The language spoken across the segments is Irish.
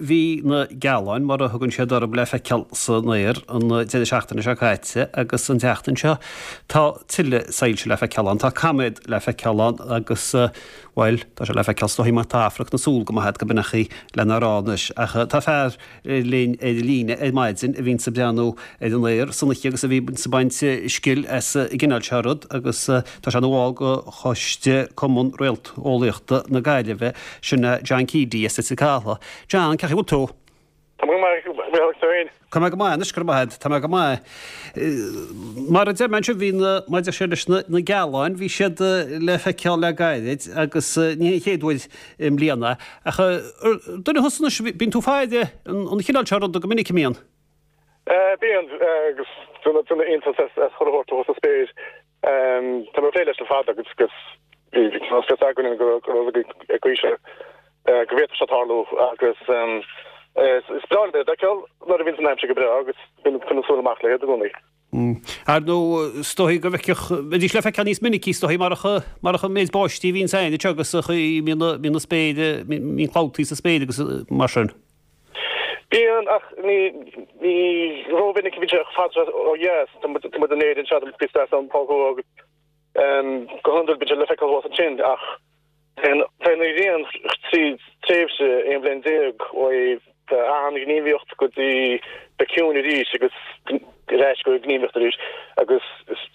Bhí na gealáin, mar a thugann siad orthu, le feiceáil san aer an deireadh seachtaine seo caite agus an tseachtain seo tá tuilleadh soilse le feiceáil ann. Tá caiméad le feiceáil ann agus, bhuel, tá sé le feiceáil is dóichí má tá afraic na súl go maith agat go b'in an chaoi lena rá anois. Ach tá fear linn ar líne ar maidin a bhíonns ag breathnú ar an aer san oíche agus a bhíonns ag baint scil as an gcineál seo rud agus tá sé ina bhall de choiste Cumann Réalteolaíochta na Gaillimhe, sin é John Keady as Leitir Cathail. John, cén chaoi a bhfuil tú? Tá mé go maith, a Mhichíl, agus tú féin? Tá mé go maith anois, go raibh maith agat, tá mé go maith. Mar a deir mé ansin, bhí na, maidir sé leis na, na gealáin, bhí siad le feiceáil le gairid agus ní hé an chéad uair i mbliana. Ach duine thusa anois, bíonn tú ag faire an chineál seo ruda go minic, an mbíonn? Bíonn, agus duine iontas as chuile shórt thuas sa spéir. Tá mé ag plé leis le fada agus bhí fios againn go raibh ag aois go bhféadfadh sé tarlú agus is breá liom iad a fheiceáil nuair a bhíonn an aimsir go breá agus bíonn ag coinneáil súil amach le iad i gcónaí. Ar ndóigh, is dóigh go bhfeicfeadh, bheidís le feiceáil níos minicí is dóigh marach marach an méid báistí a bhíonns ann anseo agus an chaoi a mbíonn na spéire, mbíonn clabhtaí sa spéir agus mar sin. Bíonn, ach ní rómhinic a bhíonn sé chomh fada seo ó dheas. Tá muid in Éirinn anseo, tá muid píosa deas ón Pol Thuaidh agus go hiondúil bíonn sé le feiceáil thuas ansin ach téann an ghrian tríd tréimhse 11 bhliain ó an-ghníomhaíocht go dtí bheith ciúin arís agus ar ais go gníomhaíocht arís agus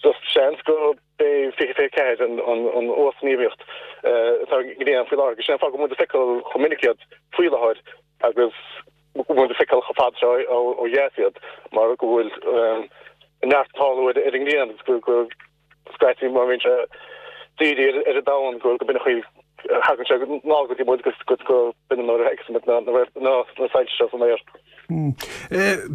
just seans go B'é 2024 an uasghníomhaíocht atá ag an nGrian faoi láthair agus sin an fáth go bhfuil muid ag feiceáil chomh minic iad faoi láthair agus go bhfuil muid ag feiceáil chomh fada seo ó dheas iad mar go bhfuil neart ag tarlú ar an nGrian agus go scaití má bhíonn sé dírithe ar an domhan go b'in an chaoi a thagann sé anall go dtí muid agus go b'in an uair a fheiceas muid na soilse seo san aer.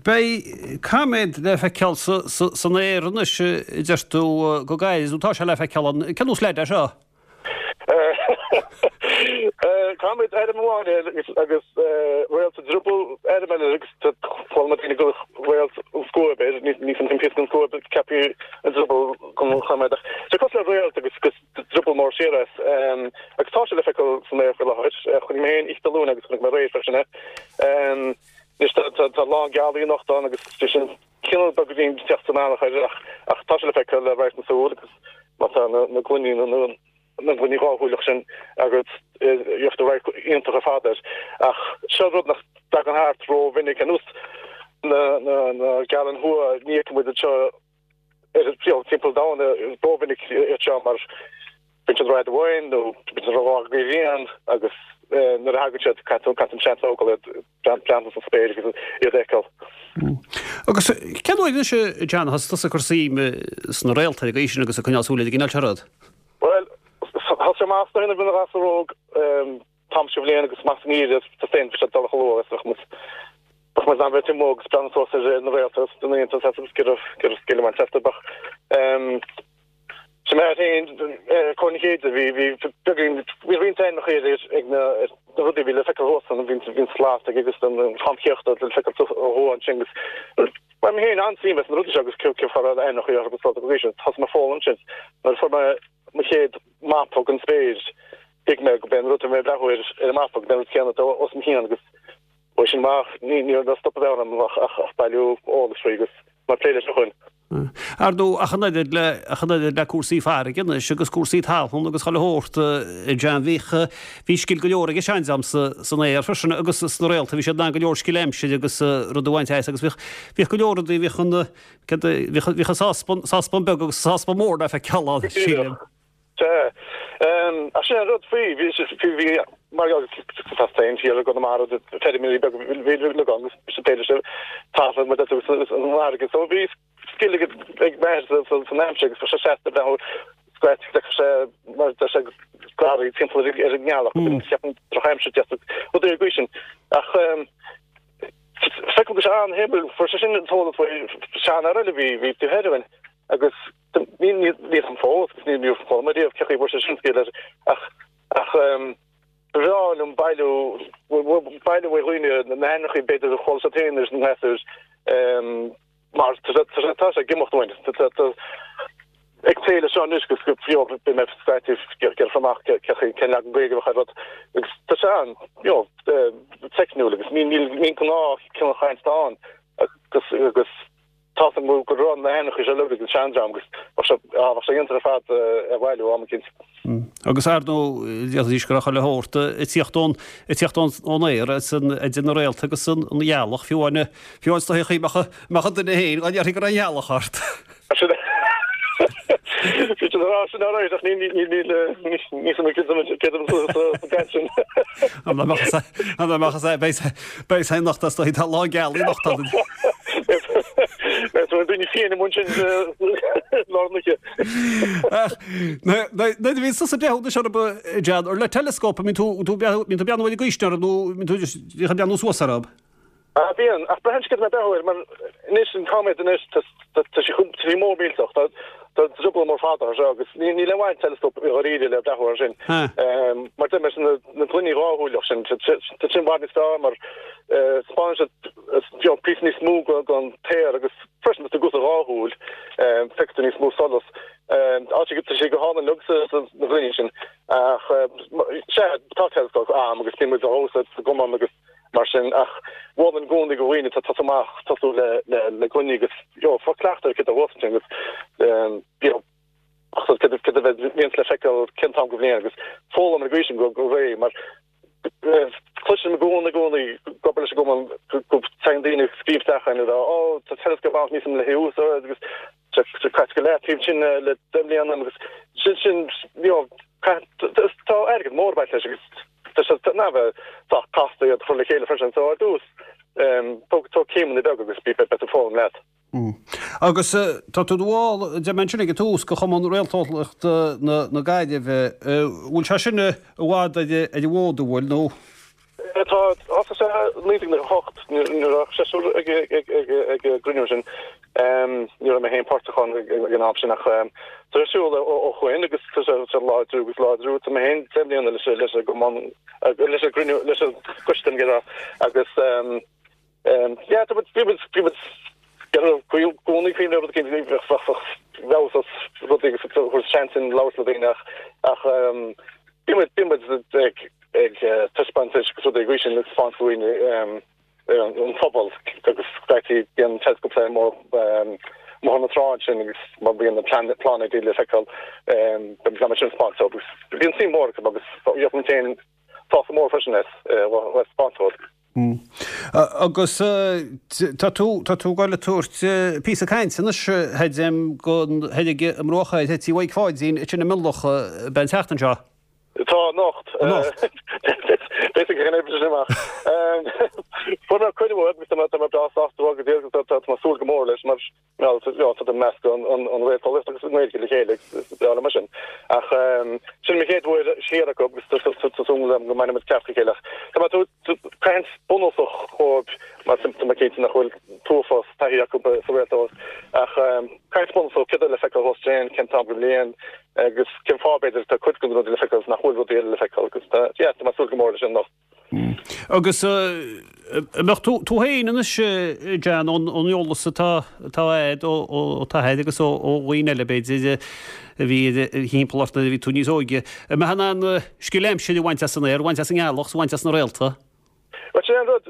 Beidh caiméad le feiceáil san aer anois, a deir tú, go gairid, nó tá sé le feiceáil ann. Cén nós leid é seo? Caiméad ainm amháin air agus réalt sa drioball ainm eile agus chuala mé daoine ag gabháil réalt an scuab air, ní fin píosa den scuab ceaptha an drioball don chaiméad ach sé cosúil le réalt agus drioball mór siar as agus tá sé le feiceáil san aer faoi láthair. Chonaic mé féin oíche Dé Luain agus chonaic mé aréir freisin é. Anois tá a lán gealaí anocht ann agus sé sin cineál beagáinín ag teacht sa mbealach air ach ach tá sé le feiceáil le radharc na súl agus má tá na na gloiní na na na gloiní dhá-shúileach sin agat gheobhaidh tú radharc iontach ar fad air. Ach seo rud nach dtagann thart ró-mhinic ar nós na na na gealáin thuaidh ní fheiceann muid anseo ar timpeall an domhain rómhinic iad seo mar bíonn siad rud amháin nó bíonn siad rá go ghrian agus nuair a thagann siad caithfidh tú seans a thógáil iad breathnú sa spéir agus iad a fheiceáil. Agus cén uair anois a John a thosaigh tusa ag cur suim sna réalta ar an gcaoi sin agus ag coinneáil súil ar an gcineál seo rud? Bhuel, thosaigh amach nuair a bhí mé ina ghasúr óg t-am seo bhliain agus amach sa ngeimhreadh tá féin bhí sé dul chomh luath is bheadh muid bheadh muid in ann bheith amuigh agus breathnú suas ar na réalta agus na iontas as agus go raibh go raibh scil amach astu ach ehm sin mé féin Comhar na Céide bhí bhí beagán bhí roinnt ainmneacha ar ag na ar na rudaí a bhí le feiceáil thuas ann bhí bhí an slat ag agus an Tom Céachta le feiceáil ó thuaidh ansin agus Bhain mé féin an-suim as na rudaí seo agus cé cé fara ainmneacha orthu agus rudaí sin thosaigh mé ag foghlaim ansin nuair a fuair mé mo chéad mapa den spéir Thuig mé go b'é an rud a bhí mé ag breathnú air ar an mapa, go b'é an rud céanna atá os mo chionn agus ó sin amach ní raibh stop a bheith orm ach ag bailiú eolais faoi agus mé ag plé leis ó shin. Ar ndóigh, ach an oiread le, ach an oiread le cúrsaí farraige anois agus cúrsaí talún agus chuile shórt, a John, bhíodh, bhí scil go leor ag an seandream sa, san aer freisin agus sna réalta, bhí siad in ann go leor scil aimsire agus rud a bhaint as agus bhíodh, bhíodh go leor rudaí, bhíodh an, céard a, bhíodh, bhíodh an sáspan, sáspan beag agus an sáspan mór le feiceáil ann, sílim. Sea. Ach sin an rud faoi, bhí, bhí, mar gheall tá féin thiar i gConamara, feirmeoirí beaga bhí le gan agus bhí siad féin talamh mar agus an fharraige. So bhí scil ag ag m'athair san aimsir agus bhí sé seasta breathnú scaití d'fheicfeadh sé mar deir sé garraí timpeall ar ar an ngealach mm. ceapann drochaimsir deas rudaí ar gcaoi sin. Ach feicim go sé an-shuimiúil fuair sé sin an t-eolas faoi seanfhear eile bhí bhí tú thoir agus Níl a fhios agam fós agus níor chuala mé riamh cé chaoi a bhfuair sé sin scil air ach ach ba bhreá liom bailiú bailiú ó dhaoine na hainmneacha b'fhéidir a chuala siad féin ar na gasúir mar tá sé tá sé ag imeacht uainn. Ag plé leis seo anois agus go you know beidh mé scaití ag iarraidh amach cén leagan Gaeilge a bheadh ar rud agus tá sé an you know teicniúil agus níl níl níl gnáth cineál chaint ann agus agus tá a fhios agam go raibh na hainmneacha seo uilig ag an seandream agus bheadh sé ah bheadh sé iontach ar fad a bhailiú am eicínt. Agus ar ndóigh d'fhéadfaidís go raibh chuile shórt ag tíocht ón ag tíocht ón ón aer ansan idir na réalta agus an an ghealach fiú amháin fiú amháin is dóichí chaoi mbeadh mbeadh an duine féin dá ndéarfaí go raibh an ghealach ort. Bhí siad ag rá sin alright ach níl níl níl níl mé céad sa gcaint sin. An mbeadh an mbeadh is beidh beidh sé anocht is dóichí tá lá gealaí anocht ann. Beidh daoine fiáin amuigh ansin lár na hoíche. Ach nuair a bhíonn tusa ag breathnú anois orthu John ar le teileascóp a mbíonn tú tú mbíonn tú ag breathnú ar an gcaoi sin orthu nó mbíonn tú ag breathnú suas orthu. Ah, bíonn, ach braitheann sé céard atá mé ag breathnú air, mar anois an coiméad anois, tá tá sé chomh, tá sé mór millteach, tá tá drioball mór fada air seo agus ní níl aon mhaith in teileascóp i dháiríre le breathnú air sin. Mar deir mé sin na na gloiní dháshúileach sin, tá tá sin i bhfad níos fearr mar 'spáineann siad you know píosa níos mó den den t-aer agus freisin tá tú ag úsáid dhá shúil, feicfidh tú níos mó solas. Tá sé tá sé go hálainn uilig sa sa na gloiní sin ach sea, tá teileascóp a'm agus bíonn muid á úsáid sa gcumann agus mar sin ach mholfainn i gcónaí do dhaoine atá ag tosú amach tosú le le le gloiní agus you know fáil cleachtadh ar céard a bhuas ansin agus you know céard céard a bheidh bhíonns le feiceáil cén t-am den bhliain agus foghlaim ar an gcaoi sin go go réidh mar cloisim i gcónaí i gcónaí ag obair leis an gcumann go go dtagann daoine ag scríobh isteach chugainn ag rá ó tá teileascóp ann níl a fhios agam le hé a úsáid agus Tá sé caite go leataobh ansin le 10 mbliana agus sin sin you know tá airgead mór ag baint leis agus tá sé ná bheith sách casta iad a chur le chéile freisin so ar dtús tóg tóg céimeanna beaga agus beidh tú ag foghlaim leat. Agus tá tú i do bhall, deir mé ansin ag an tús, de Chumann Réalteolaíochta na Gaillimhe. Bhfuil sé sin i bhfad ar an bhfód, an bhfuil, nó? Tá, thosaigh sé i 1998 nuair a bhí seisear ag an gcruinniú sin. Ní raibh mé féin páirteach ann ag an am sin ach tá sé ar siúl ó shoin agus tá sé ag láidriú agus láidriú. Tá mé féin 10 mbliana leis an gcumann, leis an gcruinniú, leis an gcoiste agus Yeah, tá muid, bhí muid, bhí muid, i gcónaí cuimhne ar rud éicint, bheadh, bheadh, bheadh feabhas as rudaí agus thabhairt seans sin labhairt le daoine ach, ach bhí muid, bhí muid ag, ag taispeántais agus rudaí agaibh sin ag taispeáint do dhaoine an phobal agus scaití bíonn teileascóp amuigh ar na trá ansin agus má bhíonn na pláinéidí le feiceáil bíonn muid sin ag taispeáint agus bíonn suim mhór acu agus bhíodh muid féin sásta mór freisin as a bheith ag taispeáint dóibh. Agus tá tú, tá tú ag goil ag tabhairt píosa cainte anois, Feidhm, don thoir i mBruach Airthe, Tí Mhaidhc Pháidín, ansin i Mionlach, ab é an tseachtain seo? Tá, anocht. Anocht. B'fhéidir go n-oibreoidh sé amach. Fuair mé cuireadh uaidh agus tá mé, tá mé breá sásta go dtí agus tá mé ag súil go mór leis mar Bhuel, tá meascadh an réalteolaíocht agus an Ghaeilge le chéile agus is breá liom é sin. Ach sin mo chéad uair siar acu agus tá súil agam go mbainfidh muid ceart le chéile. Ach tá mé ag tabhairt caint bunúsach dhóibh mar tá mé cinnte nach bhfuil t-uafás taithí acu sa réalteolaíocht. Ach caint bunúsach, céard atá le feiceáil thuas ansin, cén t-am den bhliain agus cén fáth b'fhéidir tá cuid de na rudaí le feiceáil agus nach bhfuil rudaí eile le feiceáil agus tá, yeah, tá mé ag súil go mór leis sin anocht. Agus an mbeadh tú tú féin anois, John, ón eolas atá atá a'd ó ó d'athair agus ó ó dhaoine eile b'fhéidir a bhí i do thimpeall ort nuair a bhí tú níos óige, an mbeifeá in ann scil aimsire a bhaint as an aer, a bhaint as an ngealach 's a bhaint as na réalta? Bhuel, sin é an rud,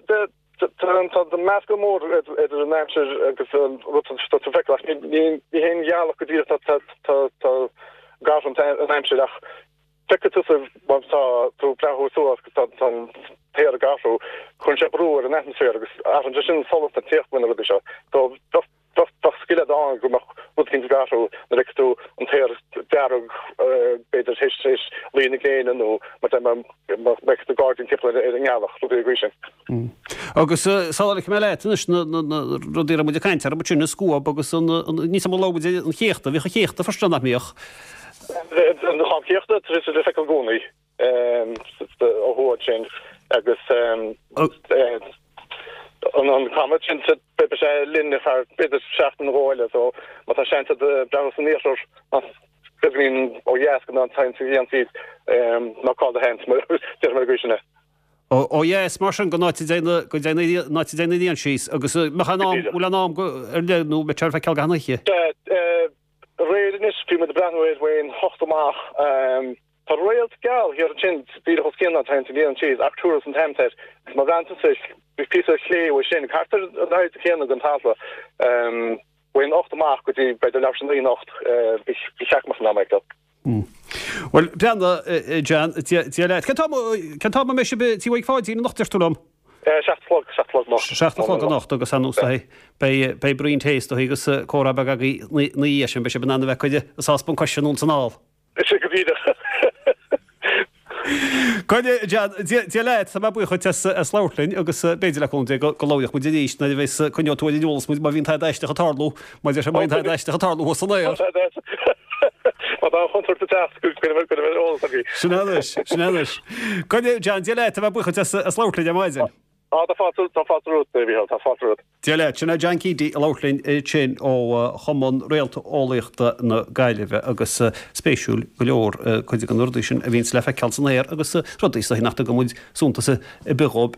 tá meascadh mór idir an aimsir agus an rud atá tú ag feiceáil ach ní ní hé an ghealach go díreach atá tá tá ag athrú an aimsir ach Feicfidh tusa má tá tú ag breathnú suas agus tá an t-aer ag athrú, cuireann sé brú ar an atmaisféar agus athraíonn sé sin an solas atá ag tíocht faoi na rudaí seo. So bheadh scil agat ann go mbeadh rud éicint ag athrú nuair a fheicfidh tú an t-aer dearg b'fhéidir théis théis luí na gréine nó má fheicfidh tú gairdín timpeall ar an ngealach, rudaí den gcaoi sin. Agus sula ligfidh mé leat anois na rudaí a raibh muid ag caint orthu sin, an scuab agus an, níl 's a'm an labhair muid ar an chéachta, bhíodh an chéachta freisin nach mbíodh? An chéachta, tá sé le feiceáil i gcónaí ó thuaidh ansin agus an comet sin beidh sé linn ar feadh b'fhéidir seachtain nó dhó eile so má tá seans agat breathnú san iarthar beagáinín ó dheas go an t-am a dhéanfaí ná caill do sheans mar déarfaidh mé ar an gcaoi sin é. Ó dheas mar sin go n-áit a dtéann go dtéann an áit a dtéann an ghrian síos agus mbeadh an am bhfuil an am go ar leith nó beidh sé ar feiceáil gach oíche? Aréir anois, bhí. Bhí muid ag breathnú air uain hocht amach. Tá réalt geal thiar ansin díreach os cionn an t-aon síos, Arcturus an t-ainm air. Agus má bhreathnaíonn tusa píosa ar chlé uaidh sin, thart ar an airde chéanna den talamh, uain hocht amach go dtí b'fhéidir leathuair tar éis a naoi anocht, bhí seachmall san am ag dul. Bhuel, breathnaigh, John, Dia leat. Cén t-am a mbeidh sibh i Tí Mhaidhc Pháidín anocht, deir tú liom? 7 a chlog, 7 a chlog anocht. 7 a chlog anocht agus ar ndóigh beidh, beidh braon tae is dóigh agus comhrá beag agaibh ina dhiaidh sin, beidh sibh in ann a bheith ag cur an sáspan coise anonn is anall. Is ea go díreach. Coinnigh, John, Dia leat, tá mé buíoch dhuit as as labhairt linn agus b'fhéidir le cúnamh Dé go go labhróidh muid arís nuair a bheas coinneoidh tú ar an eolas muid má bhíonn tada aisteach ag tarlú, má deir sé má bhíonn tada aisteach ag tarlú thuas san aer. Má tá an chontúirt ag teacht go go go mbeidh eolas agaibh. Sin é anois, sin é anois. Coinnigh, John, Dia leat, tá mé buíoch dhuit as as labhairt linn ar maidin. Á, tá fáilte, tá fáilte romhat, a Mhícheál, tá fáilte romhat. Dia leat, sin é John Keady ag labhairt linn ansin ó Chumann Réalteolaíochta na Gaillimhe agus spéisiúil go leor cuid de na rudaí sin a bhíonns le feiceáil san aer agus rudaí is dóichí nach dtugann muid suntas ar bith dhóibh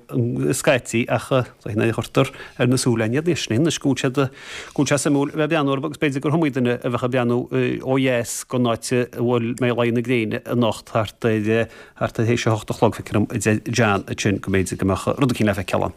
scaití ach is dóichí nuair a chuirtear ar na súile iad anois anois go bhfuil siad go bhfuil sé suimiúil a bheith ag breathnú orthu agus b'fhéidir gur iomaí duine a bheadh ag breathnú ó dheas don áit a bhfuil mbeidh laghdú na gréine anocht thart ar Thart ar théis a hocht a chlog, feictear dom, a deir John ansin, go mb'fhéidir go mbeadh rud eicínt le feiceáil ann.